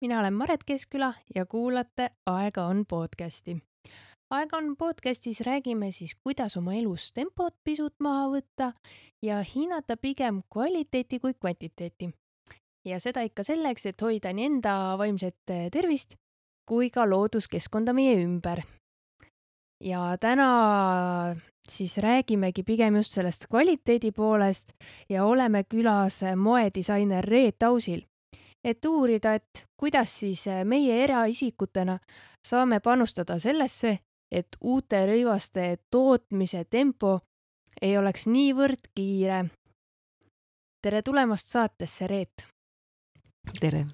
Mina olen Maret Keskküla ja kuulate Aega on podcasti. Aega on podcastis räägime siis, kuidas oma elus tempot pisut maha võtta ja hinnata pigem kvaliteeti kui kvantiteeti. Ja seda ikka selleks, et hoida nii enda vaimset tervist kui ka looduskeskkonda meie ümber. Ja täna siis räägimegi pigem just sellest kvaliteedi poolest ja oleme külas moedisainer Reet Ausil, et uurida, et kuidas siis meie eraisikutena saame panustada sellesse, et uute rõivaste tootmise tempo ei oleks niivõrd kiire. Tere tulemast saatesse, Reet! Tere!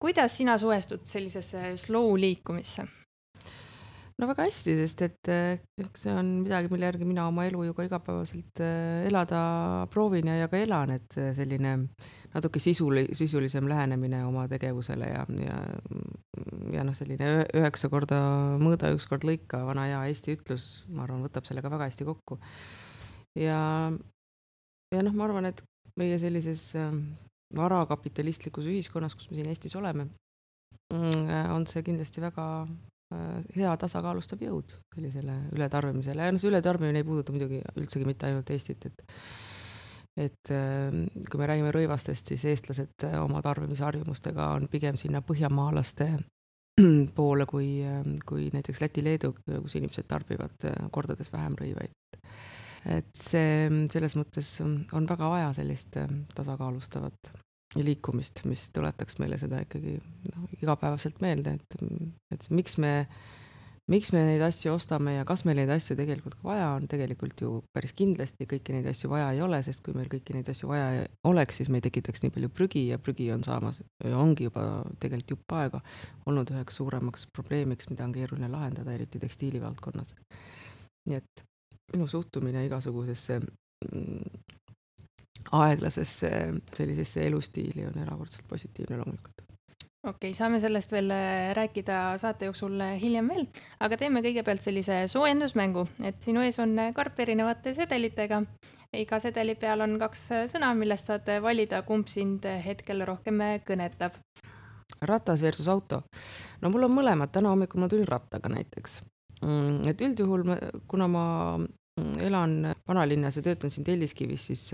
Kuidas sina suhestud sellisesse slow liikumisse? No väga hästi, sest et see on midagi, mille järgi mina oma elu ju ka igapäevaselt elada proovin ja ka elan, et selline natuke sisulisem lähenemine oma tegevusele ja selline 9 korda mõõda, 1 kord lõika, vana hea Eesti ütlus, ma arvan, võtab sellega väga hästi kokku. Ja ma arvan, et meie sellises varakapitalistlikus ühiskonnas, kus me siin Eestis oleme, on see kindlasti väga hea tasakaalustav jõud sellisele ületarbimisele. Ja see ületarbimine ei puuduta muidugi üldsegi mitte ainult Eestit, et kui me räägime rõivastest, siis eestlased oma tarbimisharjumustega on pigem sinna põhjamaalaste poole kui näiteks Läti-Leedu, kus inimesed tarbivad kordades vähem rõivaid. Et see selles mõttes on väga vaja sellist tasakaalustavat liikumist, mis tuletaks meile seda ikkagi igapäevaselt meelde, et miks me neid asju ostame ja kas meil neid asju tegelikult ka vaja on, tegelikult ju päris kindlasti kõiki neid asju vaja ei ole, sest kui meil kõiki neid asju vaja oleks, siis me ei tekitaks nii palju prügi ja prügi on saamas, ongi juba tegelikult jupp aega olnud üheks suuremaks probleemiks, mida on keeruline lahendada, eriti tekstiilivaldkonnas. Nii et minu suhtumine igasugusesse aeglasesse sellisesse elustiili on erakordselt positiivne loomulikult. Okei, saame sellest veel rääkida saate jooksul hiljem veel, aga teeme kõigepealt sellise soojendusmängu, et sinu ees on karp erinevate sedelitega. Iga sedeli peal on 2 sõna, millest saad valida, kumb sind hetkel rohkem kõnetab. Ratas versus auto. No mul on mõlemad, täna hommikul ma tulin rattaga näiteks. Et üldjuhul, kuna ma elan vanalinnas ja töötan siin Telliskivis, siis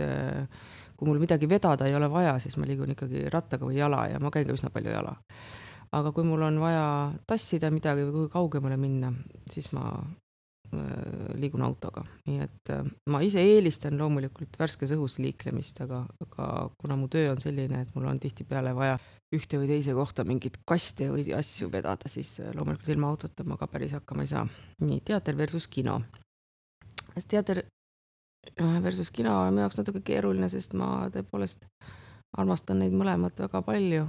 kui mul midagi vedada ei ole vaja, siis ma liigun ikkagi rattaga või jala ja ma käin ka üsna palju jala. Aga kui mul on vaja tassida midagi või kuhugi kaugemale minna, siis ma liigun autoga. Nii et ma ise eelistan loomulikult värskes õhus liiklemist, aga kuna mu töö on selline, et mul on tihtipeale vaja ühte või teise kohta mingit kaste või asju vedada, siis loomulikult ilma autota ma ka päris hakkama ei saa. Nii, teater versus kino. Teater versus kino on minu jaoks natuke keeruline, sest ma tõepoolest armastan neid mõlemat väga palju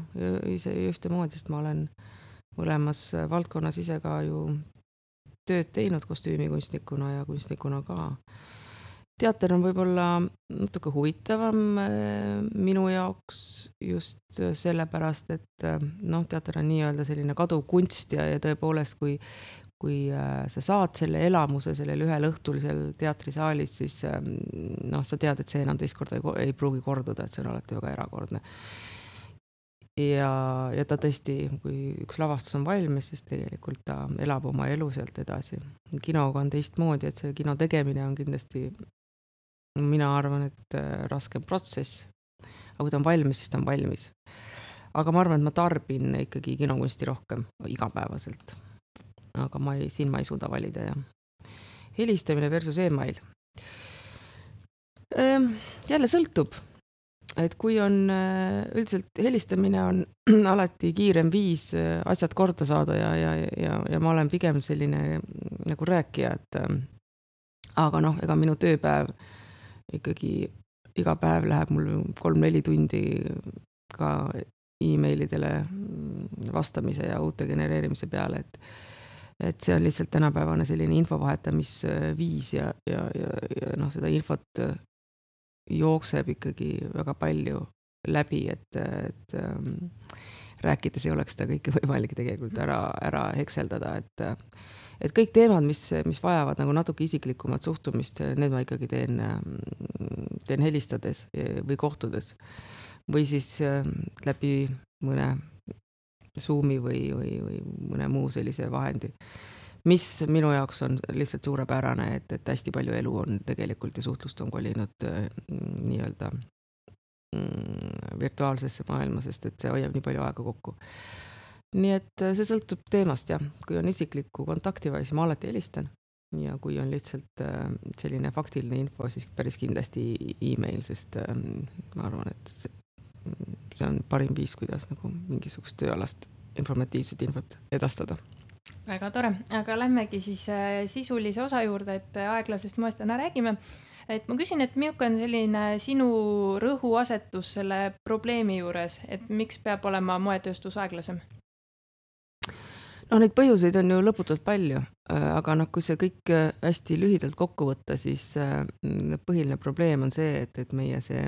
ise ühtemoodi, sest ma olen mõlemas valdkonnas ise ka ju tööd teinud kostüümikunstnikuna ja kunstnikuna ka. Teater on võib-olla natuke huvitavam minu jaoks just sellepärast, et teater on nii-öelda selline kaduv kunst ja tõepoolest, kui sa saad selle elamuse sellel ühel õhtul seal teatrisaalis, siis sa tead, et see enam teist korda ei pruugi korduda, et see on alati väga erakordne. Ja ta tõesti, kui üks lavastus on valmis, siis tegelikult ta elab oma elu sealt edasi. Kinoga on teistmoodi, et see kino tegemine on kindlasti, mina arvan, et raskem protsess. Aga kui ta on valmis, siis ta on valmis. Aga ma arvan, et ma tarbin ikkagi kinokunsti rohkem igapäevaselt. Aga siin ma ei suuda valida. Ja helistamine versus email. Jälle sõltub, et kui on üldiselt helistamine on alati kiirem viis asjad korda saada ja ma olen pigem selline nagu rääkija, aga ega minu tööpäev ikkagi iga päev läheb mul 3-4 tundi ka e-mailidele vastamise ja uute genereerimise peale, et see on lihtsalt tänapäevane selline infovahetamisviis ja seda infot jookseb ikkagi väga palju läbi, et rääkides ei oleks seda kõike võimalik tegelikult ära hekseldada, et kõik teemad, mis vajavad nagu natuke isiklikumat suhtumist, need ma ikkagi teen helistades või kohtudes või siis läbi mõne Zoomi või mõne muu sellise vahendi, mis minu jaoks on lihtsalt suurepärane, et hästi palju elu on tegelikult ja suhtlust on kolinud nii-öelda virtuaalsesse maailma, sest et see hoiab nii palju aega kokku. Nii et see sõltub teemast jah, kui on isiklikku kontakti vaja, siis ma alati helistan ja kui on lihtsalt selline faktiline info, siis päris kindlasti email, sest ma arvan, et see on parim viis, kuidas nagu mingisugust tööalast informatiivset infot edastada. Väga tore, aga lähmegi siis sisulise osa juurde, et aeglasest moest täna räägime. Et ma küsin, et milline on selline sinu rõhuasetus selle probleemi juures, et miks peab olema moetööstus aeglasem? No neid põhjuseid on ju lõputult palju, aga kui see kõik hästi lühidalt kokku võtta, siis põhiline probleem on see, et meie see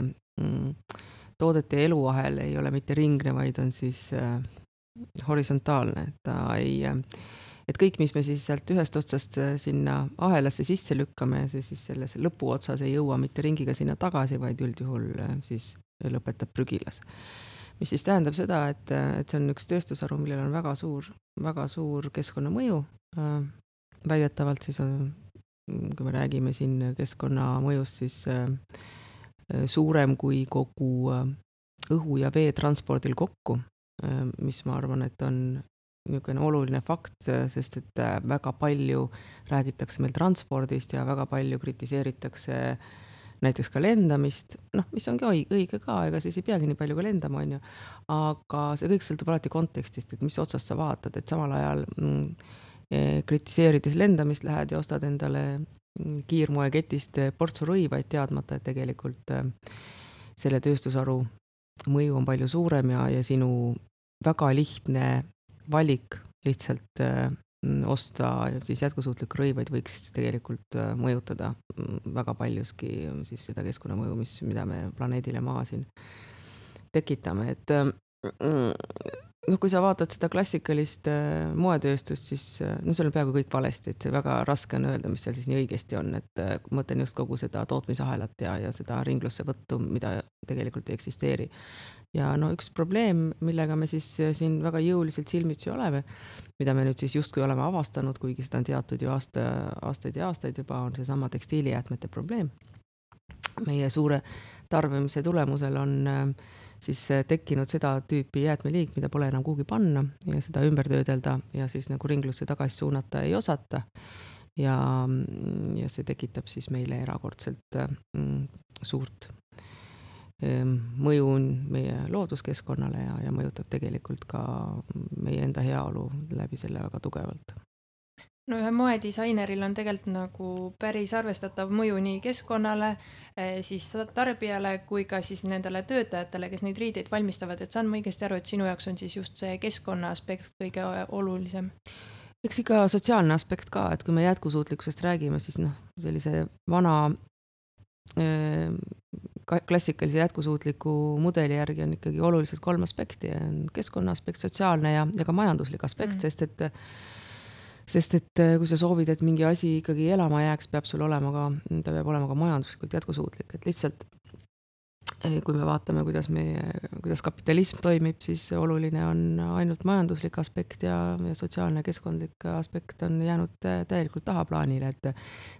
toodete eluahel ei ole mitte ringne, vaid on siis horisontaalne. Et kõik, mis me siis sealt ühest otsast sinna ahelasse sisse lükkame, see siis selles lõpuotsas ei jõua mitte ringiga sinna tagasi, vaid üldjuhul siis lõpetab prügilas. Mis siis tähendab seda, et see on üks tööstusharu, millel on väga suur keskkonnamõju. Väidetavalt siis kui me räägime siin keskkonnamõjust, siis suurem kui kogu õhu- ja veetranspordil kokku, mis ma arvan, et on niisugune oluline fakt, sest et väga palju räägitakse meil transpordist ja väga palju kritiseeritakse näiteks ka lendamist, mis ongi õige ka, ega siis ei peagi nii palju ka lendama, on ju. Aga see kõik sõltub alati kontekstist, et mis otsast sa vaatad, et samal ajal kritiseerides lendamist lähed ja ostad endale kiirmoeketist portsu rõivaid teadmata, et tegelikult selle tööstusharu mõju on palju suurem ja sinu väga lihtne valik lihtsalt osta siis jätkusuutlikke rõivaid võiks tegelikult mõjutada väga paljuski siis seda keskkonnamõju, mida me planeedile Maa siin tekitame. Et kui sa vaatad seda klassikalist moetööstust, siis seal on peaaegu kõik valesti, et see väga raske on öelda, mis seal siis nii õigesti on, et mõtlen just kogu seda tootmisahelat ja seda ringlusse võttu, mida tegelikult ei eksisteeri. Ja üks probleem, millega me siis siin väga jõuliselt silmitsi oleme, mida me nüüd siis justkui oleme avastanud, kuigi seda on teatud ju aastaid ja aastaid juba, on seesama tekstiilijäätmete probleem. Meie suure tarbimise tulemusel on siis tekkinud seda tüüpi jäätmeliik, mida pole enam kuhugi panna ja seda ümber töödelda ja siis nagu ringlusse tagasi suunata ei osata. Ja see tekitab siis meile erakordselt suurt mõju meie looduskeskkonnale ja mõjutab tegelikult ka meie enda heaolu läbi selle väga tugevalt. No ühe moedisaineril on tegelikult nagu päris arvestatav mõju nii keskkonnale, siis tarbijale kui ka siis nendele töötajatele, kes neid riideid valmistavad, et saan ma õigesti aru, et sinu jaoks on siis just see keskkonna aspekt kõige olulisem? Eks ikka sotsiaalne aspekt ka, et kui me jätkusuutlikkusest räägime, siis sellise vana klassikalise jätkusuutliku mudeli järgi on ikkagi oluliselt 3 aspekti, keskkonna aspekt, sotsiaalne ja ka majanduslik aspekt, sest et kui sa soovid, et mingi asi ikkagi elama jääks, ta peab olema ka majanduslikult jätkusuutlik, et lihtsalt kui me vaatame, kuidas kapitalism toimib, siis oluline on ainult majanduslik aspekt ja sotsiaalne keskkondlik aspekt on jäänud täielikult tahaplaanile, et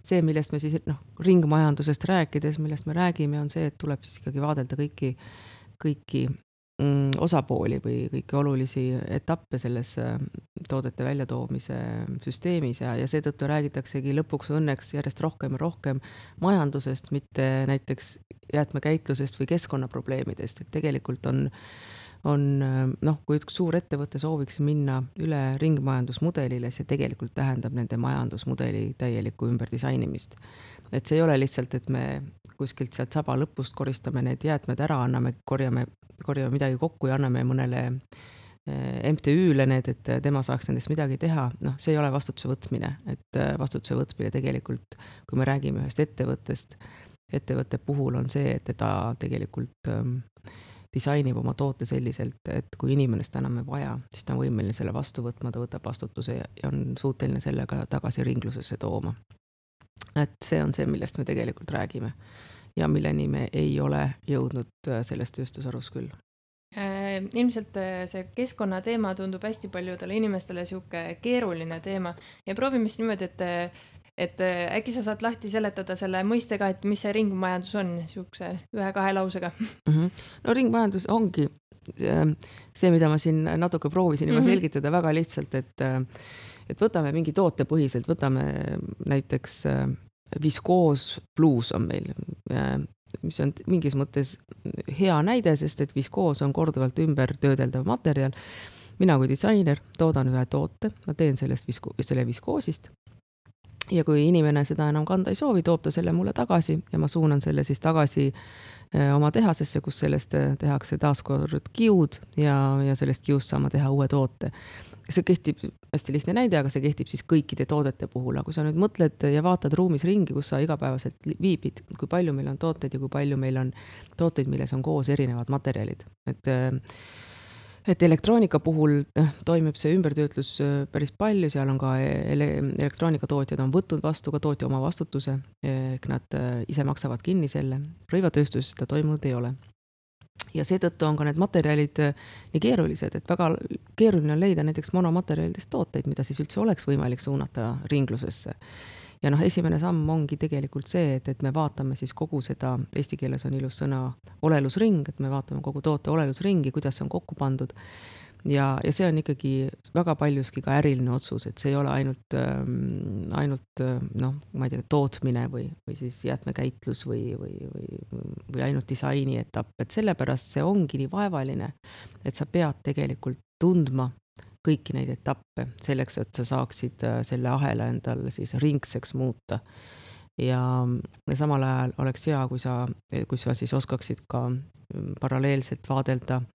see, millest me siis ringmajandusest rääkides, millest me räägime, on see, et tuleb siis ikkagi vaadelda kõiki osapooli või kõiki olulisi etappe selles toodete väljatoomise süsteemis ja seetõttu räägitaksegi lõpuks õnneks järjest rohkem ja rohkem majandusest, mitte näiteks jäätmekäitlusest või keskkonnaprobleemidest, et tegelikult on kui üks suur ettevõte sooviks minna üle ringmajandusmudelile, see tegelikult tähendab nende majandusmudeli täielikku ümberdisainimist. Et see ei ole lihtsalt, et me kuskilt sealt saba lõpust koristame need jäätmed ära, korjame midagi kokku ja anname mõnele MTÜ-le need, et tema saaks nendest midagi teha. See ei ole vastutuse võtmine, et vastutuse võtmine tegelikult, kui me räägime ühest ettevõtte puhul on see, et ta tegelikult disainib oma toote selliselt, et kui inimene seda enam ei vaja, siis ta on võimeline selle vastu võtma, ta võtab vastutuse ja on suuteline sellega tagasi ringlusesse tooma. Et see on see, millest me tegelikult räägime ja milleni me ei ole jõudnud selles tööstusharus küll. Ilmselt see keskkonnateema tundub hästi paljudele inimestele sihuke keeruline teema ja proovime siis niimoodi, et äkki sa saad lahti seletada selle mõistega, et mis see ringmajandus on, sihukese 1-2 lausega. No ringmajandus ongi see, mida ma siin natuke proovisin juba selgitada väga lihtsalt, et võtame mingi toote põhiselt, võtame näiteks viskoos on meil, mis on mingis mõttes hea näide, sest et viskoos on korduvalt ümber töödeldav materjal. Mina kui disainer toodan ühe toote, ma teen selle viskoosist ja kui inimene seda enam kanda ei soovi, toob ta selle mulle tagasi ja ma suunan selle siis tagasi oma tehasesse, kus sellest tehakse taaskord kiud ja sellest kiust saama teha uue toote. See kehtib, hästi lihtne näide, aga see kehtib siis kõikide toodete puhul. Aga kui sa nüüd mõtled ja vaatad ruumis ringi, kus sa igapäevaselt viibid, kui palju meil on tooteid ja kui palju meil on tooteid, milles on koos erinevad materjalid. Et elektroonika puhul toimib see ümbertöötlus päris palju, seal on ka elektroonikatootjad on võtnud vastu ka tootja oma vastutuse, ehk nad ise maksavad kinni selle. Rõivatööstus seda toimunud ei ole. Ja seetõttu on ka need materjalid nii keerulised, et väga keeruline on leida näiteks monomaterjalidest tooteid, mida siis üldse oleks võimalik suunata ringlusesse. Ja esimene samm ongi tegelikult see, et me vaatame siis kogu seda, eesti keeles on ilus sõna olelusring, et me vaatame kogu toote olelusringi, kuidas see on kokku pandud. Ja see on ikkagi väga paljuski ka äriline otsus, et see ei ole ainult ma ei tea, tootmine või siis jäätmekäitlus või ainult disaini etapp, et sellepärast see ongi nii vaevaline, et sa pead tegelikult tundma kõiki neid etappe selleks, et sa saaksid selle ahela endal siis ringseks muuta. Ja samal ajal oleks hea, kui sa siis oskaksid ka paralleelselt vaadelda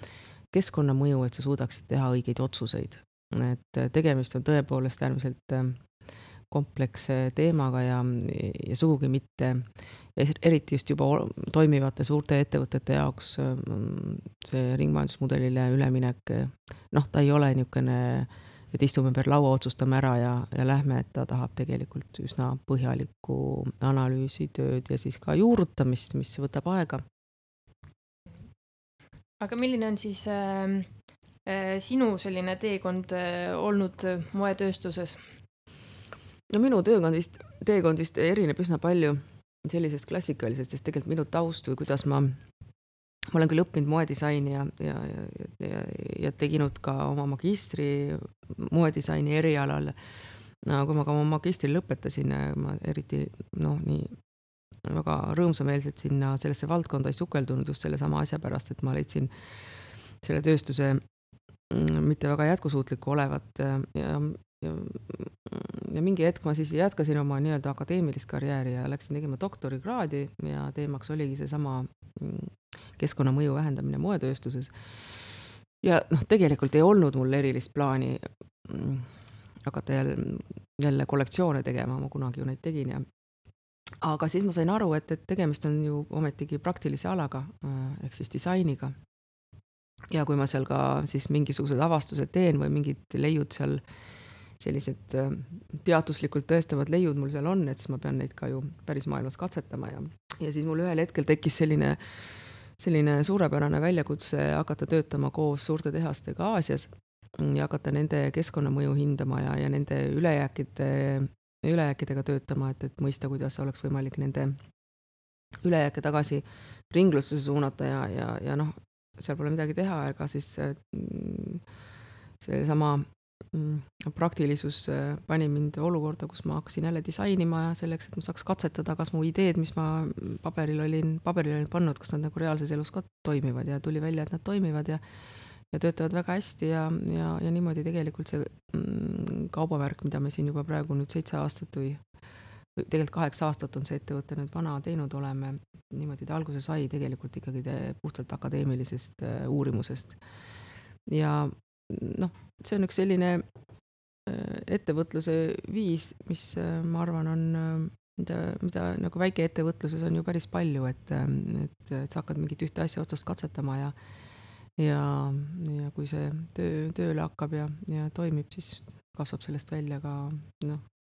keskkonnamõju, et sa suudaksid teha õigeid otsuseid. Et tegemist on tõepoolest äärmiselt kompleksse teemaga ja sugugi mitte, eriti just juba toimivate suurte ettevõtete jaoks see ringmajandusmudelile üleminek, ta ei ole niisugune, et istume per laua, otsustame ära ja lähme, et ta tahab tegelikult üsna põhjalikku analüüsitööd ja siis ka juurutamist, mis võtab aega. Aga milline on siis sinu selline teekond olnud moetööstuses? No minu teekondist erineb üsna palju sellisest klassikalisest, sest tegelikult minu taust või kuidas ma olen küll õppinud moedisaini ja teginud ka oma magistri moedisaini erialal. Kui ma ka oma magistri lõpetasin, ma eriti nii väga rõõmsameelselt sellesse valdkonda ei sukeldunud just selle sama asja pärast, et ma leidsin selle tööstuse mitte väga jätkusuutlikku olevat ja mingi hetk ma siis jätkasin oma nii-öelda akadeemilist karjääri ja läksin tegema doktorikraadi ja teemaks oligi seesama keskkonnamõju vähendamine moetööstuses. Ja tegelikult ei olnud mul erilist plaani hakata jälle kollektsioone tegema, ma kunagi ju neid tegin aga siis ma sain aru, et tegemist on ju ometigi praktilise alaga, ehk siis disainiga. Ja kui ma seal ka siis mingisugused avastused teen või mingid leiud seal, sellised teaduslikult tõestavad leiud mul seal on, et siis ma pean neid ka ju päris maailmas katsetama ja siis mul ühel hetkel tekkis selline suurepärane väljakutse hakata töötama koos suurte tehastega Aasias ja hakata nende keskkonnamõju hindama ja nende ülejääkidega töötama, et mõista, kuidas oleks võimalik nende ülejääke tagasi ringlusse suunata ja seal pole midagi teha, ega siis see sama praktilisus pani mind olukorda, kus ma hakkasin jälle disainima selleks, et ma saaks katsetada, kas mu ideed, mis ma paberil olin pannud, kas nad nagu reaalses elus ka toimivad ja tuli välja, et nad toimivad ja töötavad väga hästi ja niimoodi tegelikult see kaubamärk, mida me siin juba praegu nüüd 7 aastat või tegelikult 8 aastat on see ettevõte nüüd vana teinud oleme, niimoodi ta alguse sai tegelikult ikkagi puhtalt akadeemilisest uurimusest. Ja see on üks selline ettevõtluse viis, mis ma arvan on, mida nagu väikeettevõtluses on ju päris palju, et sa hakkad mingit ühte asja otsast katsetama ja kui see tööle hakkab ja toimib, siis kasvab sellest välja ka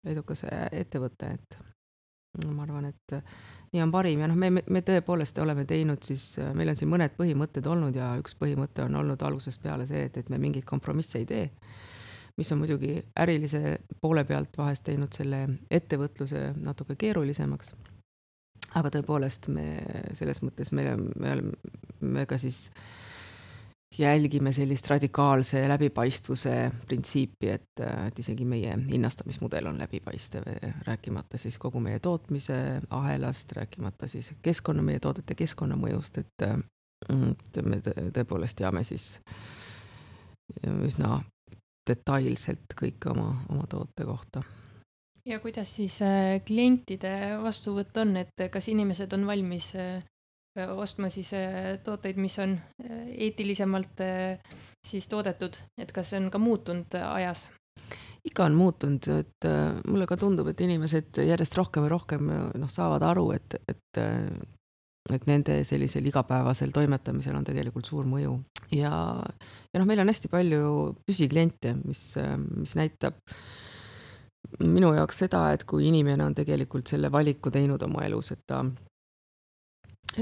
edukas ettevõte, et ma arvan, et nii on parim ja noh, me tõepoolest oleme teinud siis, meil on siin mõned põhimõtted olnud ja üks põhimõte on olnud algusest peale see, et me mingeid kompromisse ei tee, mis on muidugi ärilise poole pealt vahest teinud selle ettevõtluse natuke keerulisemaks. Aga tõepoolest me selles mõttes me ka siis jälgime sellist radikaalse läbipaistvuse printsiipi, et isegi meie hinnastamismudel on läbipaistev, rääkimata siis kogu meie tootmise ahelast, rääkimata siis meie toodete keskkonnamõjust, et me tõepoolest teame siis üsna detailselt kõike oma toote kohta. Ja kuidas siis klientide vastuvõtt on, et kas inimesed on valmis ostma siis tooteid, mis on eetilisemalt siis toodetud, et kas see on ka muutunud ajas? Ikka on muutunud, et mulle ka tundub, et inimesed järjest rohkem ja rohkem saavad aru, et nende sellisel igapäevasel toimetamisel on tegelikult suur mõju. Ja meil on hästi palju püsikliente, mis näitab minu jaoks seda, et kui inimene on tegelikult selle valiku teinud oma elus, et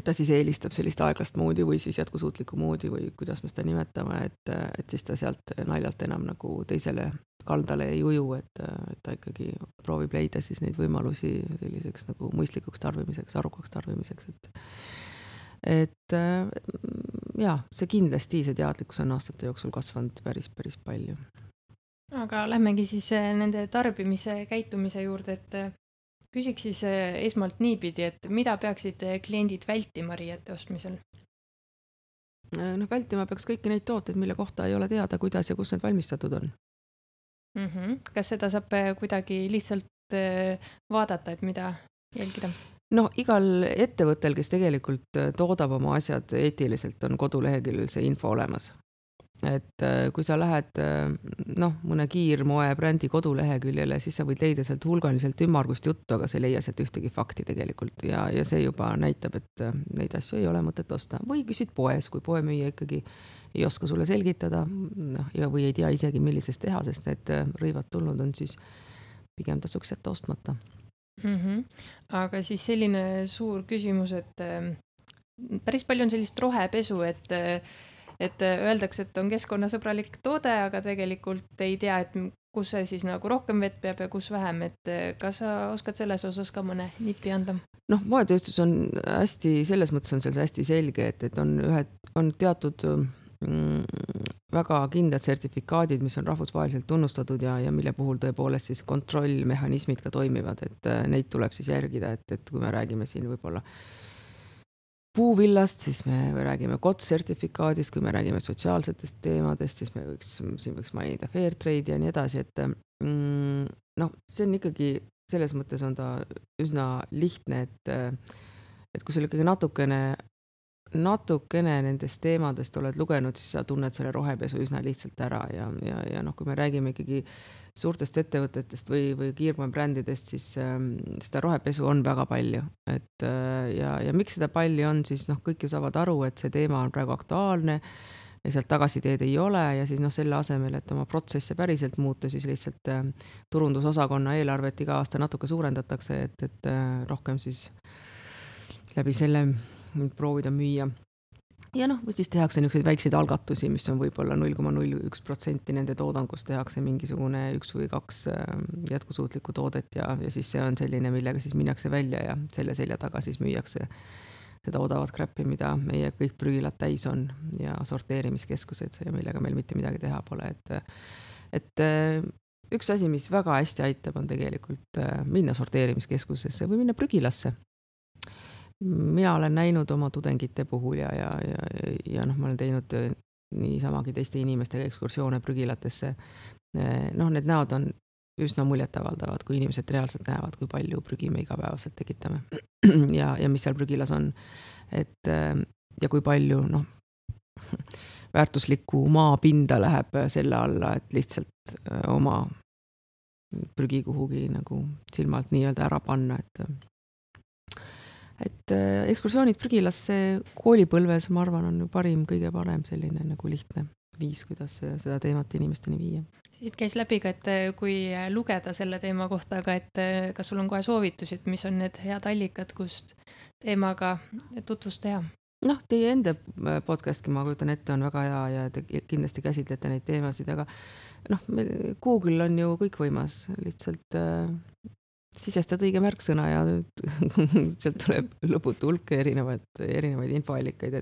ta siis eelistab sellist aeglast moodi või siis jätkusuutlikku moodi või kuidas me seda nimetame, et siis ta sealt naljalt enam nagu teisele kaldale ei uju, et ta ikkagi proovib leida siis neid võimalusi selliseks nagu mõistlikuks tarbimiseks, arukaks tarbimiseks, et see kindlasti, see teadlikkus on aastate jooksul kasvanud päris palju. Aga lähmegi siis nende tarbimise käitumise juurde, et küsiks siis esmalt niipidi, et mida peaksid kliendid vältima riiete ostmisel? Vältima peaks kõiki neid tooteid, mille kohta ei ole teada, kuidas ja kus need valmistatud on. Kas seda saab kuidagi lihtsalt vaadata, et mida jälgida? Igal ettevõttel, kes tegelikult toodab oma asjad eetiliselt, on koduleheküljel see info olemas. Et kui sa lähed mõne kiirmoe brändi koduleheküljele, siis sa võid leida sealt hulganiselt ümmargust juttu, aga sa ei leia sealt ühtegi fakti tegelikult ja see juba näitab, et neid asju ei ole mõtet osta. Või küsid poes, kui poemüüja ikkagi ei oska sulle selgitada või ei tea isegi, millisest tehasest need rõivad tulnud on, siis pigem tasuks jätta ostmata. Aga siis selline suur küsimus, et päris palju on sellist rohepesu, et öeldakse, et on keskkonnasõbralik toode, aga tegelikult ei tea, et kus see siis nagu rohkem vett peab ja kus vähem, et kas sa oskad selles osas ka mõne nipi anda? Moetööstus on hästi, selles mõttes on seal hästi selge, et on teatud väga kindlad sertifikaadid, mis on rahvusvaheliselt tunnustatud ja mille puhul tõepoolest siis kontrollmehhanismid ka toimivad, et neid tuleb siis järgida, et kui me räägime siin võib-olla puuvillast, siis me räägime COTS-sertifikaadist, kui me räägime sotsiaalsetest teemadest, siis siin võiks mainida fair trade ja nii edasi, et see on ikkagi, selles mõttes on ta üsna lihtne, et kui sul ikkagi natukene nendest teemadest oled lugenud, siis sa tunned selle rohepesu üsna lihtsalt ära ja kui me räägime ikkagi suurtest ettevõtetest või kiirmoebrändidest, siis seda rohepesu on väga palju, et ja miks seda palju on, siis kõik ju saavad aru, et see teema on praegu aktuaalne ja sealt tagasiteed ei ole ja siis selle asemel, et oma protsesse päriselt muuta, siis lihtsalt turundusosakonna eelarvet iga aasta natuke suurendatakse, et rohkem siis läbi selle proovida müüa. Ja või siis tehakse niisuguseid väikseid algatusi, mis on võib-olla 0,01% nende toodangust tehakse mingisugune 1 või 2 jätkusuutlikku toodet ja siis see on selline, millega siis minnakse välja ja selle selja taga siis müüakse seda odavat crap'i, mida meie kõik prügilad täis on ja sorteerimiskeskused ja millega meil mitte midagi teha pole. Et üks asi, mis väga hästi aitab, on tegelikult minna sorteerimiskeskusesse või minna prügilasse. Mina olen näinud oma tudengite puhul ja ma olen teinud niisamagi teiste inimestega ekskursioone prügilatesse. Need näod on üsna muljetavaldavad, kui inimesed reaalselt näevad, kui palju prügi me igapäevaselt tekitame ja mis seal prügilas on. Ja kui palju väärtuslikku maapinda läheb selle alla, et lihtsalt oma prügi kuhugi nagu silmalt nii-öelda ära panna, et ekskursioonid prügilasse koolipõlves, ma arvan, on ju kõige parem selline nagu lihtne viis, kuidas seda teemat inimesteni viia. Siit käis läbi ka, et kui lugeda selle teema kohta, aga et kas sul on kohe soovitusi, et mis on need head allikad, kust teemaga tutvust teha? Noh, teie enda podcastki, ma kujutan ette, on väga hea ja te kindlasti käsitlete neid teemasid, aga noh, Google on ju kõikvõimas, lihtsalt sisestad õige märksõna ja sealt tuleb lõputu hulk erinevaid infoallikaid,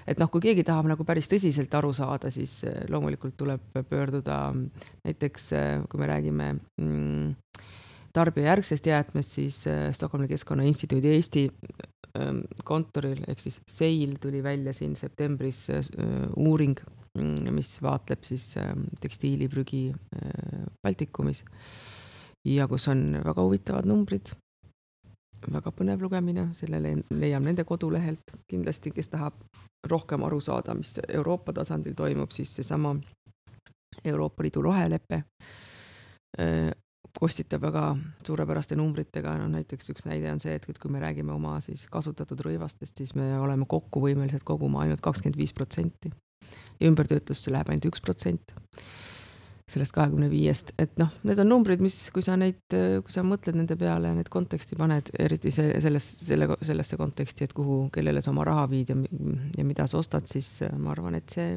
et noh, kui keegi tahab nagu päris tõsiselt aru saada, siis loomulikult tuleb pöörduda näiteks, kui me räägime tarbijajärgsest jäätmest, siis Stockholmi Keskkonnainstituudi Eesti kontoril ehk siis SEIL tuli välja siin septembris uuring, mis vaatleb siis tekstiiliprügi Baltikumis ja kus on väga huvitavad numbrid, väga põnev lugemine, sellele leiab nende kodulehelt kindlasti, kes tahab rohkem aru saada, mis Euroopa tasandil toimub, siis seesama Euroopa Liidu rohelepe kostitab väga suurepäraste numbritega, no näiteks üks näide on see, et kui me räägime oma siis kasutatud rõivastest, siis me oleme kokku võimelised koguma ainult 25% ja ümbertöötlusse läheb ainult 1% sellest 25%, et noh, need on numbrid, mis, kui sa mõtled nende peale, need konteksti paned, eriti sellesse konteksti, et kellele sa oma raha viid ja mida sa ostad, siis ma arvan, et see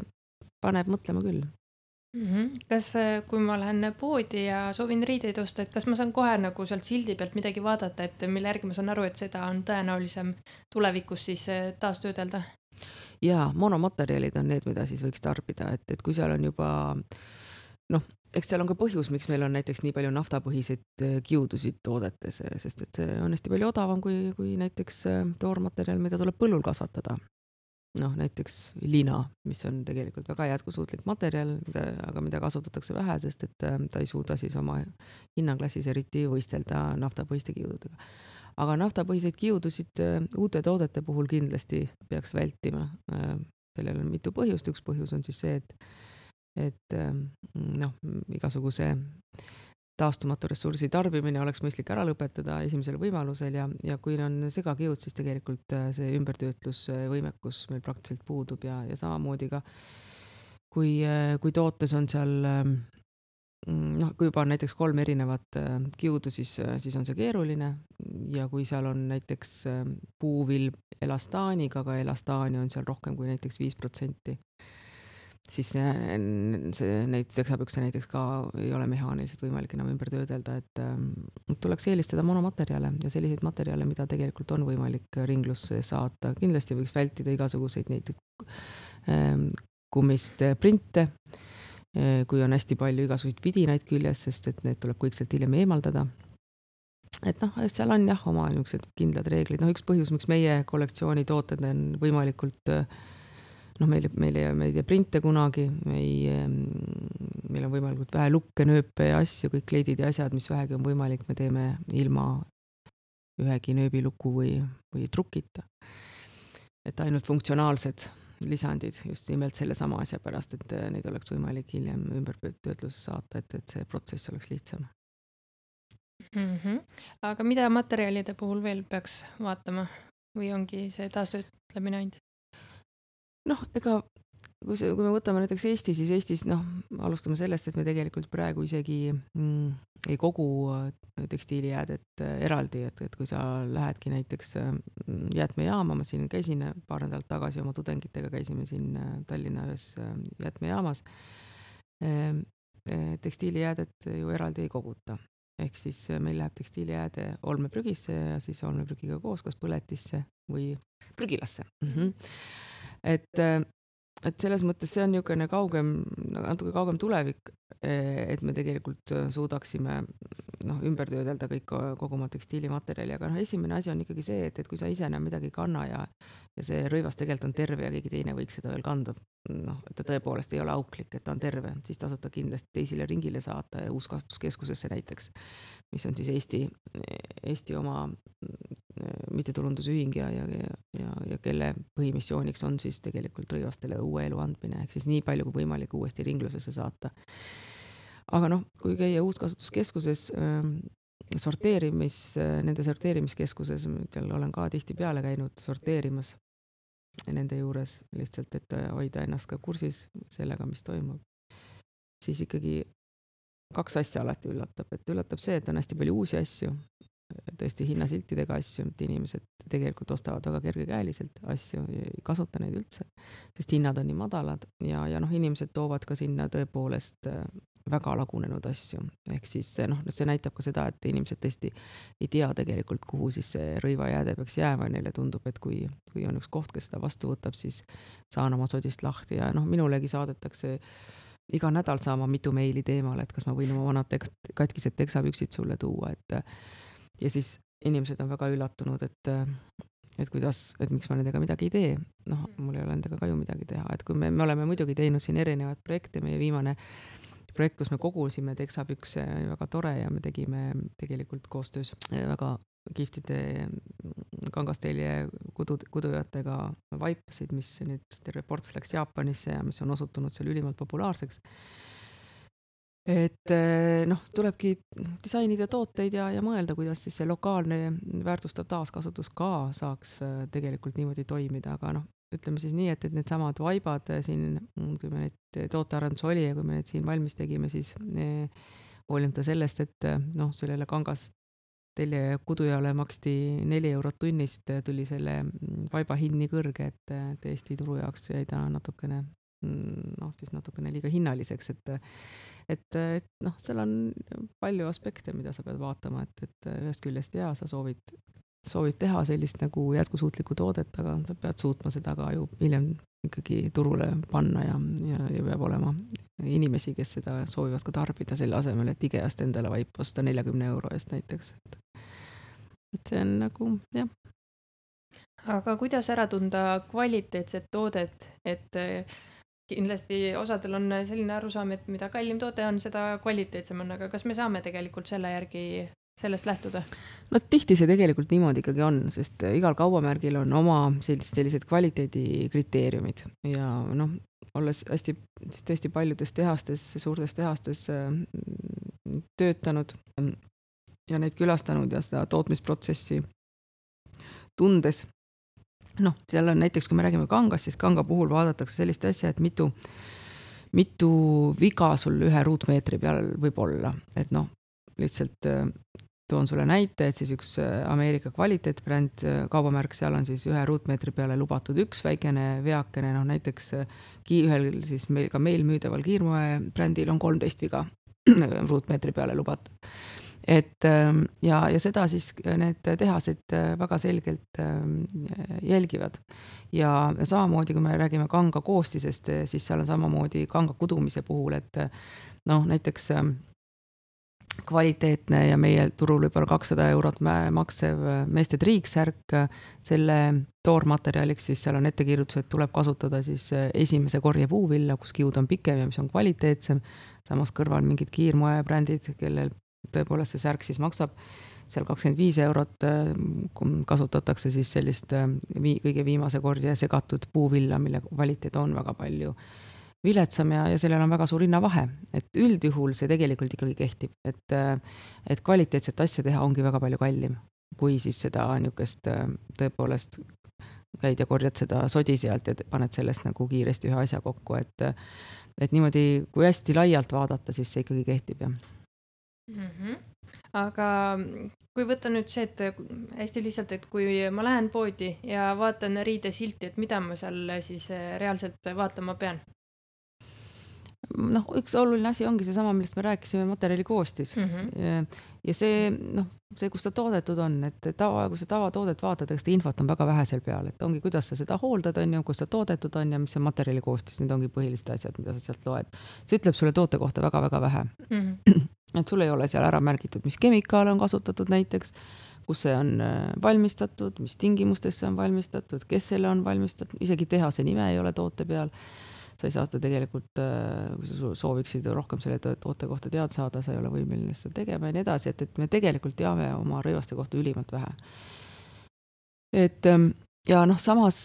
paneb mõtlema küll. Kas, kui ma lähen poodi ja soovin riideid osta, et kas ma saan kohe nagu sealt sildi pealt midagi vaadata, et mille järgi ma saan aru, et seda on tõenäolisem tulevikus siis taastöödelda? Jaa, monomaterjalid on need, mida siis võiks tarbida, et kui seal on juba, noh, eks seal on ka põhjus, miks meil on näiteks nii palju naftapõhiseid kiudusid toodetes, sest et see on hästi palju odavam kui näiteks toormaterjal, mida tuleb põllul kasvatada. Noh, näiteks lina, mis on tegelikult väga jätkusuutlik materjal, aga mida kasutatakse vähe, sest et ta ei suuda siis oma hinnaklassis eriti võistelda naftapõhiste kiududega. Aga naftapõhiseid kiudusid uute toodete puhul kindlasti peaks vältima. Sellel on mitu põhjust, üks põhjus on siis see, et noh, igasuguse taastumatu ressursi tarbimine oleks mõistlik ära lõpetada esimesel võimalusel ja kui on segakiud, siis tegelikult see ümbertöötlusvõimekus meil praktiliselt puudub ja samamoodi ka kui tootes on seal, noh, kui juba on näiteks 3 erinevat kiudu, siis on see keeruline ja kui seal on näiteks puuvilb elastaaniga, aga elastaani on seal rohkem kui näiteks 5%, siis neid teksapükse näiteks ka ei ole mehaaniliselt võimalik enam ümber töödelda, et tuleks eelistada monomaterjale ja selliseid materjale, mida tegelikult on võimalik ringlusse saata. Kindlasti võiks vältida igasuguseid näiteks kummist printe, kui on hästi palju igasuguseid vidinaid küljes, sest et need tuleb kõik sealt hiljem eemaldada. Et noh, seal on jah, oma niisugused kindlad reeglid. Noh, üks põhjus, miks meie kollektsiooni tooted on võimalikult noh, meil ei tee printe kunagi, meil on võimalikult vähe lukke, nööpe ja asju, kõik kleidid ja asjad, mis vähegi on võimalik, me teeme ilma ühegi nööbiluku või trukita. Et ainult funktsionaalsed lisandid just nimelt selle sama asja pärast, et neid oleks võimalik hiljem ümbertöötluses saata, et see protsess oleks lihtsam. Aga mida materjalide puhul veel peaks vaatama või ongi see taastöötlemine ainult? Noh, ega kui me võtame näiteks Eesti, siis Eestis, noh, alustame sellest, et me tegelikult praegu isegi ei kogu tekstiilijäädet eraldi, et kui sa lähedki näiteks jäätmejaama, ma siin käisin paar nädalat tagasi oma tudengitega, käisime siin Tallinna ühes jäätmejaamas, tekstiilijäädet ju eraldi ei koguta. Ehk siis meil läheb tekstiilijääde olmeprügisse ja siis olmeprügiga koos kas põletisse või prügilasse. Et selles mõttes see on niisugune natuke kaugem tulevik, et me tegelikult suudaksime ümber töödelda kogu oma tekstiilimaterjali, aga esimene asi on ikkagi see, et kui sa ise enam midagi ei kanna ja see rõivas tegelikult on terve ja keegi teine võiks seda veel kanda, et ta tõepoolest ei ole auklik, et ta on terve, siis tasub ta kindlasti teisele ringile saata ja Uuskasutuskeskusesse näiteks, mis on siis Eesti oma mittetulundusühing ja kelle põhimissiooniks on siis tegelikult rõivastele uue elu andmine, ehk siis nii palju kui võimalik uuesti ringlusesse saata. Aga noh, kui käia Uuskasutuskeskuses nende sorteerimiskeskuses, seal olen ka tihtipeale käinud sorteerimas, nende juures lihtsalt, et hoida ennast ka kursis sellega, mis toimub, siis ikkagi 2 asja alati üllatab, et üllatab see, et on hästi palju uusi asju, tõesti hinnasiltidega asju, et inimesed tegelikult ostavad väga kergekäeliselt asju, ei kasuta neid üldse, sest hinnad on nii madalad ja noh, inimesed toovad ka sinna tõepoolest väga lagunenud asju, ehk siis noh, see näitab ka seda, et inimesed tõesti ei tea tegelikult, kuhu siis see rõivajääde peaks jääma ja neile tundub, et kui on üks koht, kes seda vastu võtab, siis saan oma sodist lahti ja noh, minulegi saadetakse iga nädal saama mitu meili teemal, et kas ma võin oma vanad katkised teksapüksid sulle tuua, et ja siis inimesed on väga üllatunud, et kuidas, et miks ma nendega midagi ei tee. Noh, mul ei ole nendega ka ju midagi teha, et kui me oleme muidugi teinud siin erinevaid projekte, meie viimane projekt, kus me kogusime teksapükse, oli väga tore ja me tegime tegelikult koostöös väga kihvtide kangasteelje kudujatega vaipasid, mis nüüd terve ports läks Jaapanisse ja mis on osutunud seal ülimalt populaarseks. Et noh, tulebki disainida tooteid ja mõelda, kuidas siis see lokaalne väärtustav taaskasutus ka saaks tegelikult niimoodi toimida, aga noh, ütleme siis nii, et need samad vaibad siin, kui me neid tootearendus oli ja kui me need siin valmis tegime, siis hoolimata sellest, et noh, sellele kangas telje kudujale maksti 4 eurot tunnist, tuli selle vaiba hind nii kõrge, et Eesti turu jaoks jäi ta natukene noh, siis natukene liiga hinnaliseks, et noh, seal on palju aspekte, mida sa pead vaatama, et ühest küljest jaa, sa soovid teha sellist nagu jätkusuutlikku toodet, aga sa pead suutma seda ka ju hiljem ikkagi turule panna ja peab olema inimesi, kes seda soovivad ka tarbida selle asemel, et IKEA-st endale vaip osta 40 euro eest näiteks. Et see on nagu, jah. Aga kuidas ära tunda kvaliteetset toodet, et kindlasti osadel on selline arusaam, et mida kallim toode on, seda kvaliteetsem on, aga kas me saame tegelikult selle järgi sellest lähtuda? No tihti see tegelikult niimoodi ikkagi on, sest igal kaubamärgil on oma sellised kvaliteedikriteeriumid ja noh, olles hästi tõesti paljudes tehastes, suurtes tehastes töötanud ja neid külastanud ja seda tootmisprotsessi tundes, noh, seal on näiteks, kui me räägime kangast, siis kanga puhul vaadatakse sellist asja, et mitu viga sul 1 ruutmeetri peal võib olla. Et noh, lihtsalt toon sulle näite, et siis üks Ameerika kvaliteetbränd kaubamärk, seal on siis 1 ruutmeetri peale lubatud üks väikene veakene, noh näiteks ühel siis meil müüdaval kiirmoe brändil on 13 viga ruutmeetri peale lubatud. Et ja seda siis need tehased väga selgelt jälgivad. Ja samamoodi, kui me räägime kanga koostisest, siis seal on samamoodi kanga kudumise puhul, et noh, näiteks kvaliteetne ja meie turul võib-olla 200 eurot maksev meeste triiksärk, selle toormaterjaliks siis seal on ettekirjutus, et tuleb kasutada siis esimese korje puuvilla, kus kiud on pikem ja mis on kvaliteetsem, samas kõrval mingid kiirmoebrändid, kellel tõepoolest see särk siis maksab seal 25 eurot, kasutatakse siis sellist kõige viimase korje segatud puuvilla, mille kvaliteet on väga palju viletsam ja sellel on väga suur hinnavahe, et üldjuhul see tegelikult ikkagi kehtib, et kvaliteetset asja teha ongi väga palju kallim, kui siis seda niisugust tõepoolest käid ja korjad seda sodi sealt ja paned sellest nagu kiiresti ühe asja kokku, et niimoodi, kui hästi laialt vaadata, siis see ikkagi kehtib, jah. Aga kui võtta nüüd see, et hästi lihtsalt, et kui ma lähen poodi ja vaatan riidesilti, et mida ma seal siis reaalselt vaatama pean? Noh, üks oluline asi ongi seesama, millest me rääkisime, materjali koostis. Ja see, noh, see, kus ta toodetud on, et kui sa tavatoodet vaatad, eks ta infot on väga vähe seal peal, et ongi, kuidas sa seda hooldad, on ju, kus ta toodetud on ja mis on materjali koostis, need ongi põhilised asjad, mida sa sealt loed. See ütleb sulle toote kohta väga-väga vähe. Et sul ei ole seal ära märgitud, mis kemikaale on kasutatud näiteks, kus see on valmistatud, mis tingimustes see on valmistatud, kes selle on valmistatud, isegi tehase nime ei ole toote peal. Sa ei saa seda tegelikult, kui sa sooviksid rohkem selle toote kohta teada saada, sa ei ole võimeline seda tegema ja nii edasi, et me tegelikult teame oma rõivaste kohta ülimalt vähe. Et ja noh, samas,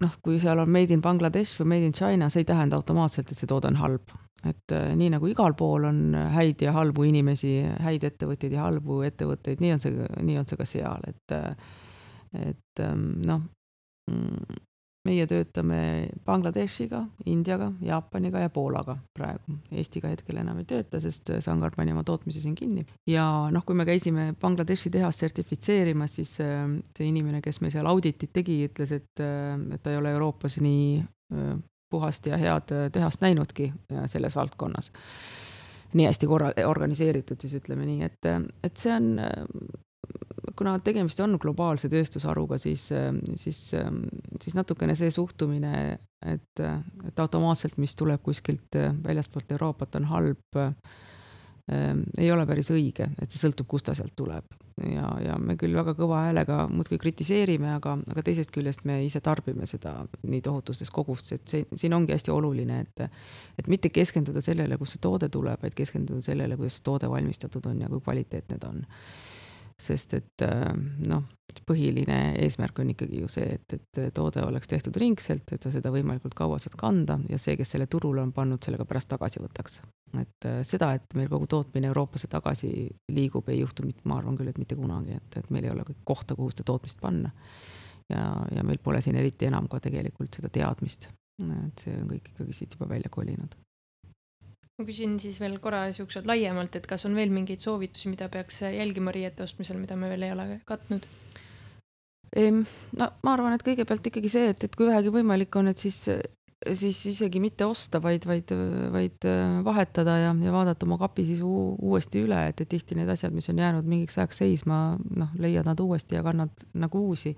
noh, kui seal on made in Bangladesh või made in China, see ei tähenda automaatselt, et see toode on halb. Et nii nagu igal pool on häid ja halbu inimesi, häid ettevõtteid ja halbu ettevõtteid, nii on see ka seal, et noh, meie töötame Bangladeshiga, Indiaga, Jaapaniga ja Poolaga praegu. Eestiga hetkel enam ei tööta, sest Sangar pani oma tootmise siin kinni. Ja noh, kui me käisime Bangladeshi tehast sertifitseerimas, siis see inimene, kes meil seal auditit tegi, ütles, et ta ei ole Euroopas nii puhast ja head tehast näinudki selles valdkonnas. Nii hästi organiseeritud, siis ütleme nii, et see on, kuna tegemist on globaalse tööstusharuga, siis natukene see suhtumine, et automaatselt, mis tuleb kuskilt väljaspoolt Euroopat, on halb, ei ole päris õige, et see sõltub, kust ta sealt tuleb. Ja me küll väga kõva häälega muudkui kritiseerime, aga teisest küljest me ise tarbime seda nii tohutustes kogustes, et siin ongi hästi oluline, et mitte keskenduda sellele, kus see toode tuleb, vaid keskenduda sellele, kuidas toode valmistatud on ja kui kvaliteetne ta on. Sest et põhiline eesmärk on ikkagi ju see, et toode oleks tehtud ringselt, et sa seda võimalikult kaua saad kanda ja see, kes selle turule on pannud, sellega pärast tagasi võtaks. Et seda, et meil kogu tootmine Euroopasse tagasi liigub, ei juhtu, ma arvan küll, et mitte kunagi, et meil ei ole kohta, kuhu seda tootmist panna. Ja meil pole siin eriti enam ka tegelikult seda teadmist, et see on kõik ikkagi siit juba välja kolinud. Ma küsin siis veel korra siuksed laiemalt, et kas on veel mingeid soovitusi, mida peaks jälgima riiete ostmisel, mida me veel ei ole katnud? No ma arvan, et kõigepealt ikkagi see, et kui vähegi võimalik on, et siis isegi mitte osta, vaid vahetada ja vaadata oma kapi siis uuesti üle, et tihti need asjad, mis on jäänud mingiks ajaks seisma, leiad nad uuesti ja kannad nagu uusi.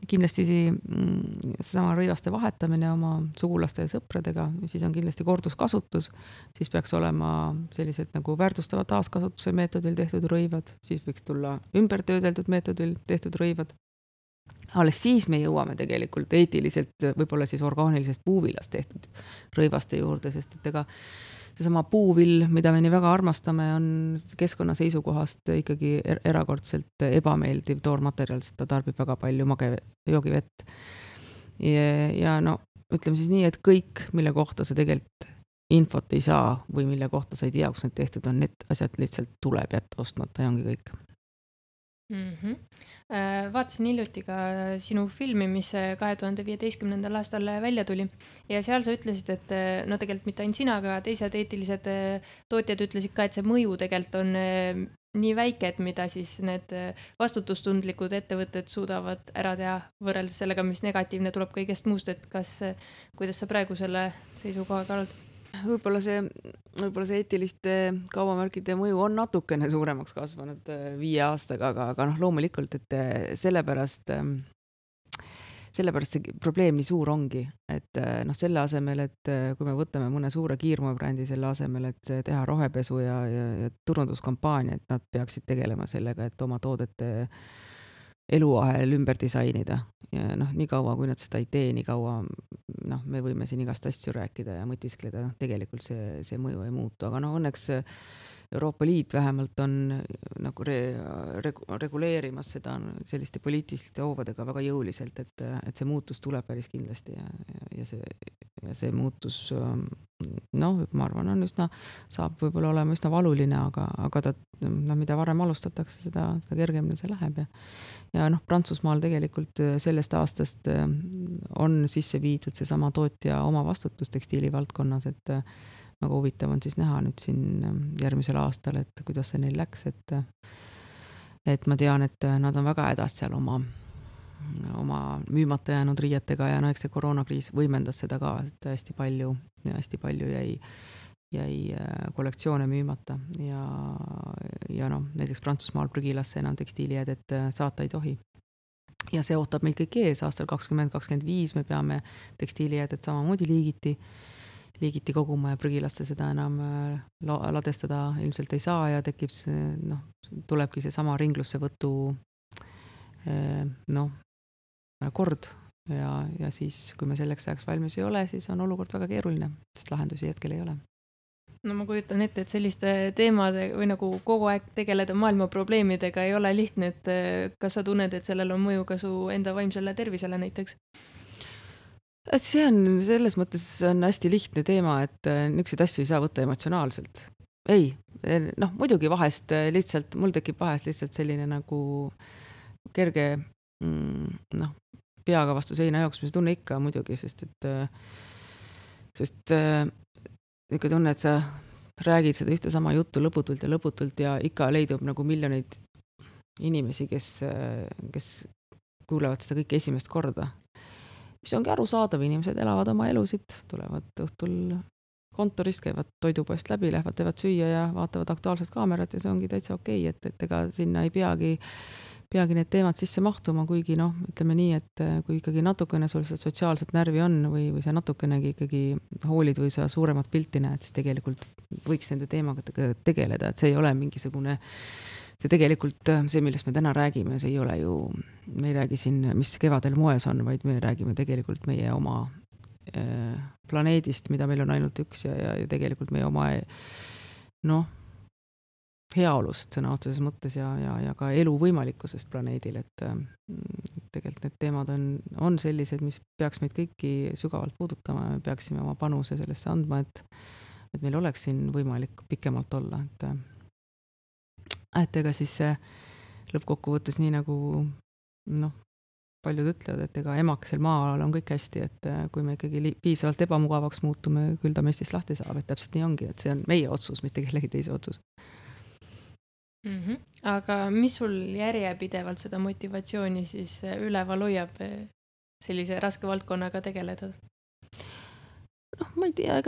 Kindlasti seesama rõivaste vahetamine oma sugulaste ja sõpradega, siis on kindlasti korduskasutus, siis peaks olema sellised nagu väärtustava taaskasutuse meetodil tehtud rõivad, siis võiks tulla ümbertöödeldud meetodil tehtud rõivad. Alles siis me jõuame tegelikult eetiliselt võib-olla siis orgaanilisest puuvilast tehtud rõivaste juurde, sest et ega seesama puuvill, mida me nii väga armastame, on keskkonna seisukohast ikkagi erakordselt ebameeldiv toormaterjal, sest ta tarbib väga palju joogivett. Ja ütleme siis nii, et kõik, mille kohta sa tegelikult infot ei saa või mille kohta sa ei tea, kus need tehtud on, need asjad lihtsalt tuleb jätta ostmata ja ongi kõik. Vaatasin hiljuti ka sinu filmi, mis 2015. aastal välja tuli ja seal sa ütlesid, et tegelikult mitte ainult sina, aga teised eetilised tootjad ütlesid ka, et see mõju tegelikult on nii väike, et mida siis need vastutustundlikud ettevõtted suudavad ära teha võrreldes sellega, mis negatiivne tuleb kõigest muust, et kuidas sa praegu selle seisukohaga oled? Võib-olla see eetiliste kaubamärkide mõju on natukene suuremaks kasvanud 5 aastaga, aga loomulikult, et sellepärast see probleem nii suur ongi, et selle asemel, et kui me võtame mõne suure kiirmoebrändi selle asemel, et teha rohepesu ja turunduskampaania, et nad peaksid tegelema sellega, et oma toodete eluahel ümber disainida ja nii kaua, kui nad seda ei tee, nii kaua me võime siin igast asju rääkida ja mõtiskleda, tegelikult see mõju ei muutu, aga õnneks Euroopa Liit vähemalt on nagu reguleerimas seda selliste poliitiliste hoovadega väga jõuliselt, et see muutus tuleb päris kindlasti ja see muutus ma arvan, saab võib-olla olema üsna valuline, aga ta, mida varem alustatakse, seda kergemini see läheb ja Prantsusmaal tegelikult sellest aastast on sisse viidud seesama tootja oma vastutus tekstiili valdkonnas, et väga huvitav on siis näha nüüd siin järgmisel aastal, et kuidas see neil läks, et ma tean, et nad on väga hädas seal oma müümata jäänud riietega ja eks see koroonakriis võimendas seda ka, et hästi palju jäi kollektsioone müümata ja näiteks Prantsusmaal prügilasse enam tekstiilijäädet saata ei tohi. Ja see ootab meid kõik ees, aastal 2025 me peame tekstiilijäädet samamoodi liigiti koguma ja prügilasse seda enam ladestada ilmselt ei saa ja tekib tulebki see sama ringlussevõtu kord ja siis, kui me selleks ajaks valmis ei ole, siis on olukord väga keeruline, sest lahendusi hetkel ei ole. No ma kujutan ette, et selliste teemade või nagu kogu aeg tegeleda maailma probleemidega ei ole lihtne, et kas sa tunned, et sellel on mõju ka su enda vaimsele tervisele näiteks? See on selles mõttes on hästi lihtne teema, et niisuguseid asju ei saa võtta emotsionaalselt. Ei, muidugi vahest lihtsalt, mul tekib vahest lihtsalt selline nagu kerge peaga vastu seina jooksmise tunne ikka muidugi, sest ikka tunne, et sa räägid seda ühte sama juttu lõputult ja ikka leidub nagu miljoneid inimesi, kes kuulevad seda kõike esimest korda. Mis ongi arusaadav, inimesed elavad oma elusid, tulevad õhtul kontorist, käivad toidupoest läbi, lähevad, teevad süüa ja vaatavad Aktuaalset Kaamerat ja see ongi täitsa okei, et ega sinna ei peagi need teemad sisse mahtuma, kuigi ütleme nii, et kui ikkagi natukene sul seda sotsiaalset närvi on või sa natukenegi ikkagi hoolid või sa suuremat pilti näed, siis tegelikult võiks nende teemaga tegeleda, et see ei ole mingisugune, see tegelikult, see, millest me täna räägime, see ei ole ju, me ei räägi siin, mis kevadel moes on, vaid me räägime tegelikult meie oma planeedist, mida meil on ainult üks ja tegelikult meie oma heaolust sõna otseses mõttes ja ka elu võimalikkusest planeedil, et tegelikult need teemad on sellised, mis peaks meid kõiki sügavalt puudutama ja me peaksime oma panuse sellesse andma, et meil oleks siin võimalik pikemalt olla, et ega siis lõppkokkuvõttes nii nagu paljud ütlevad, et ega emakesel maal on kõik hästi, et kui me ikkagi piisavalt ebamugavaks muutume, küll ta meistist lahti saab, et täpselt nii ongi, et see on meie otsus, mitte kellegi teise otsus. Aga mis sul järjepidevalt seda motivatsiooni siis üleval hoiab sellise raske valdkonnaga tegeleda? Ma ei tea,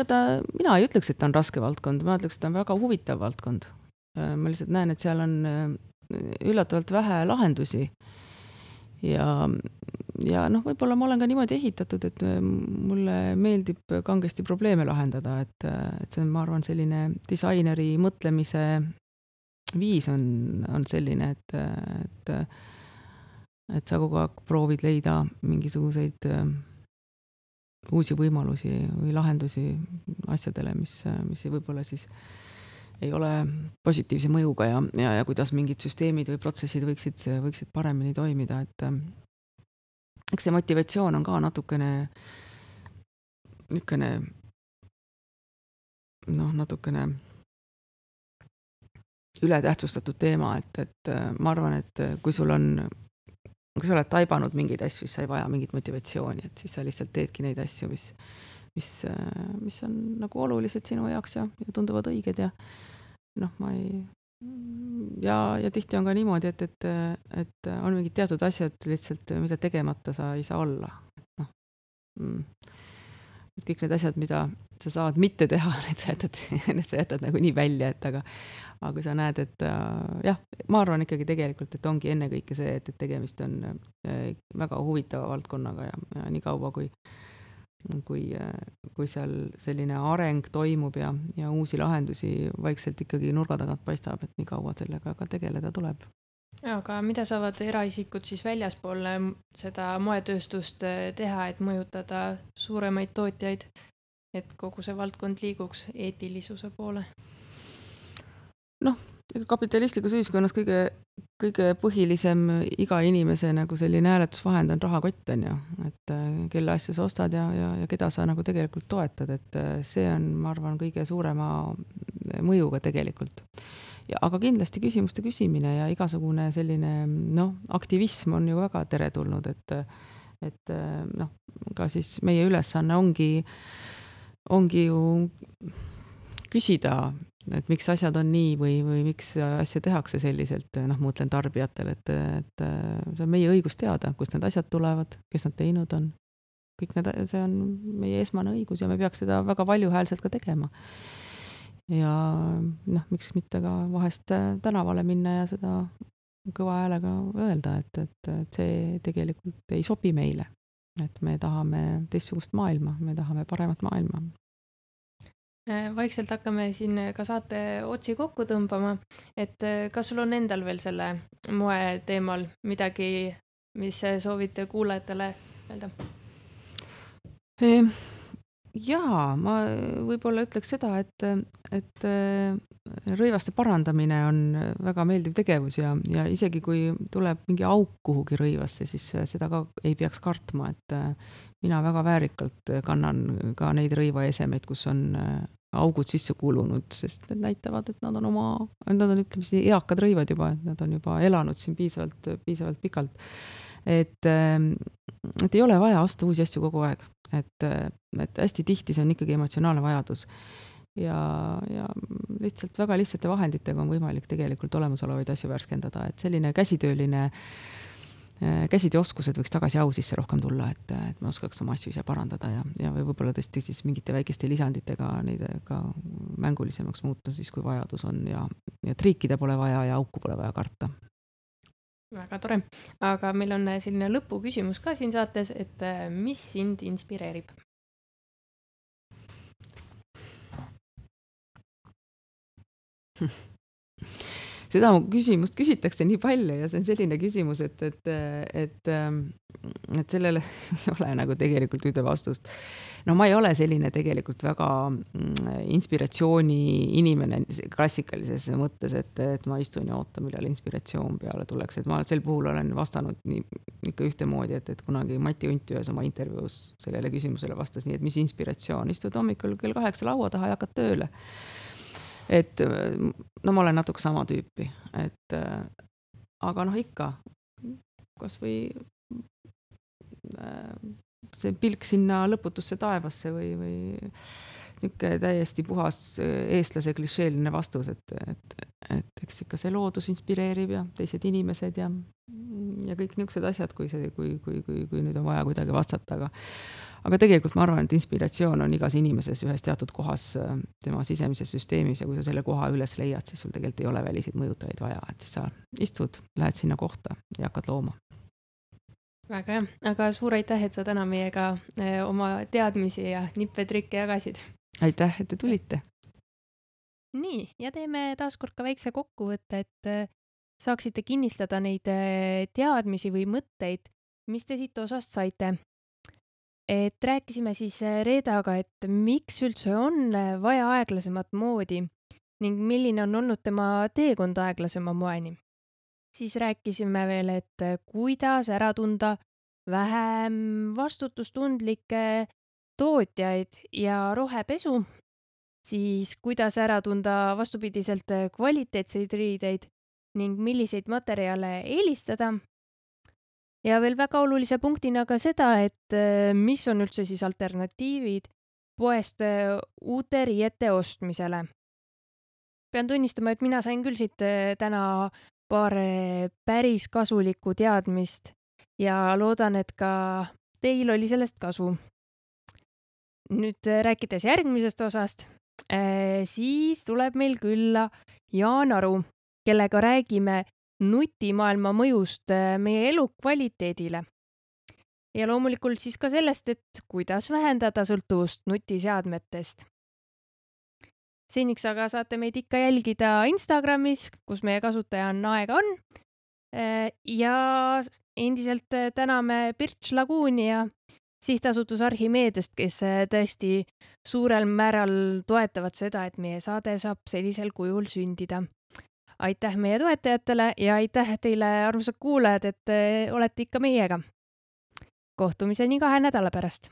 mina ei ütleks, et ta on raske valdkond, ma ütleks, et ta on väga huvitav valdkond. Ma lihtsalt näen, et seal on üllatavalt vähe lahendusi ja võib-olla ma olen ka niimoodi ehitatud, et mulle meeldib kangesti probleeme lahendada, et see on, ma arvan, selline disaineri mõtlemise viis on selline, et sa kogu aeg proovid leida mingisuguseid uusi võimalusi või lahendusi asjadele, mis võib-olla siis ei ole positiivse mõjuga ja kuidas mingid süsteemid või protsessid võiksid paremini toimida, et eks see motivatsioon on ka natukene ületähtsustatud teema, et ma arvan, et kui sa oled taibanud mingeid asju, siis sa ei vaja mingit motivatsiooni, et siis sa lihtsalt teedki neid asju, mis on nagu olulised sinu jaoks ja tunduvad õiged ja tihti on ka niimoodi, et on mingid teatud asjad lihtsalt, mida tegemata sa ei saa olla. Et kõik need asjad, mida sa saad mitte teha, need sa jätad nagu nii välja, et aga kui sa näed, et ma arvan ikkagi tegelikult, et ongi ennekõike see, et tegemist on väga huvitava valdkonnaga ja nii kaua, kui seal selline areng toimub ja uusi lahendusi vaikselt ikkagi nurga tagant paistab, et nii kaua sellega ka tegeleda tuleb. Aga mida saavad eraisikud siis väljaspool seda moetööstust teha, et mõjutada suuremaid tootjaid, et kogu see valdkond liiguks eetilisuse poole? Kapitalistlikus ühiskonnas kõige põhilisem iga inimese nagu selline hääletusvahend on rahakott, on ju, et kelle asju sa ostad ja keda sa nagu tegelikult toetad, et see on, ma arvan, kõige suurema mõjuga tegelikult. Aga kindlasti küsimuste küsimine ja igasugune selline aktivism on ju väga teretulnud, et ka siis meie ülesanne ongi ju küsida, et miks asjad on nii või miks asja tehakse selliselt, ma mõtlen tarbijatel, et see on meie õigus teada, kust need asjad tulevad, kes nad teinud on. See on meie esmane õigus ja me peaks seda väga valjuhäälselt ka tegema. Ja miks mitte ka vahest tänavale minna ja seda kõva häälega öelda, et see tegelikult ei sobi meile. Et me tahame teistsugust maailma, me tahame paremat maailma. Vaikselt hakkame siin ka saate otsi kokku tõmbama, et kas sul on endal veel selle moe teemal midagi, mis soovite kuulajatele öelda? Jaa, ma võib-olla ütleks seda, et rõivaste parandamine on väga meeldiv tegevus ja isegi kui tuleb mingi auk kuhugi rõivasse, siis seda ka ei peaks kartma, et mina väga väärikalt kannan ka neid rõivaesemeid, kus on augud sisse kulunud, sest need näitavad, et nad on ütleme, eakad rõivad juba, et nad on juba elanud siin piisavalt pikalt. et ei ole vaja osta uusi asju kogu aeg, et hästi tihti see on ikkagi emotsionaalne vajadus ja lihtsalt väga lihtsate vahenditega on võimalik tegelikult olemasolevaid asju värskendada, et selline käsitööoskused võiks tagasi au sisse rohkem tulla, et ma oskaks oma asju ise parandada ja võib-olla tõesti siis mingite väikeste lisanditega neid ka mängulisemaks muuta siis, kui vajadus on ja triikida pole vaja ja auku pole vaja karta. Väga tore. Aga meil on selline lõpuküsimus ka siin saates, et mis sind inspireerib? Seda küsimust küsitakse nii palju ja see on selline küsimus, et sellele ei ole nagu tegelikult ühte vastust. No ma ei ole selline tegelikult väga inspiratsiooni inimene klassikalises mõttes, et ma istun ja ootan, millal inspiratsioon peale tuleks. Et ma sel puhul olen vastanud ikka ühtemoodi, et kunagi Mati Unt ühes oma intervjuus sellele küsimusele vastas nii, et mis inspiratsioon, istud hommikul kell 8 laua taha ja hakkad tööle. Et no ma olen natuke sama tüüpi, aga ikka, kas või see pilk sinna lõputusse taevasse või niisugune täiesti puhas eestlase klišeeline vastus, et eks ikka see loodus inspireerib ja teised inimesed ja kõik niisugused asjad, kui nüüd on vaja kuidagi vastata, aga tegelikult ma arvan, et inspiratsioon on igas inimeses ühes teatud kohas tema sisemises süsteemis ja kui sa selle koha üles leiad, siis sul tegelikult ei ole väliseid mõjutajaid vaja, et siis sa istud, lähed sinna kohta ja hakkad looma. Väga hea, aga suur aitäh, et sa täna meiega oma teadmisi ja nippe-trikke jagasid. Aitäh, et te tulite. Nii, ja teeme taaskord ka väikse kokkuvõtte, et saaksite kinnistada neid teadmisi või mõtteid, mis te siit osast saite. Et rääkisime siis Reedaga, et miks üldse on vaja aeglasemat moodi ning milline on olnud tema teekond aeglasema moeni. Siis rääkisime veel, et kuidas ära tunda vähem vastutustundlikke tootjaid ja rohepesu, siis kuidas ära tunda vastupidiselt kvaliteetseid riideid ning milliseid materjale eelistada. Ja veel väga olulise punktina ka seda, et mis on üldse siis alternatiivid poest uute riiete ostmisele. Pean tunnistama, et mina sain küll siit täna paar päris kasulikku teadmist ja loodan, et ka teil oli sellest kasu. Nüüd rääkides järgmisest osast, siis tuleb meil külla Jaan Aru, kellega räägime nutimaailma mõjust meie elukvaliteedile. Ja loomulikult siis ka sellest, et kuidas vähendada sõltuvust nutiseadmetest. Seniks aga saate meid ikka jälgida Instagramis, kus meie kasutaja on Aega on. Ja endiselt täname Birch Lagooni ja sihtasutus Archimeedest, kes tõesti suurel määral toetavad seda, et meie saade saab sellisel kujul sündida. Aitäh meie toetajatele ja aitäh teile, armsad kuulajad, et olete ikka meiega. Kohtumiseni 2 nädala pärast.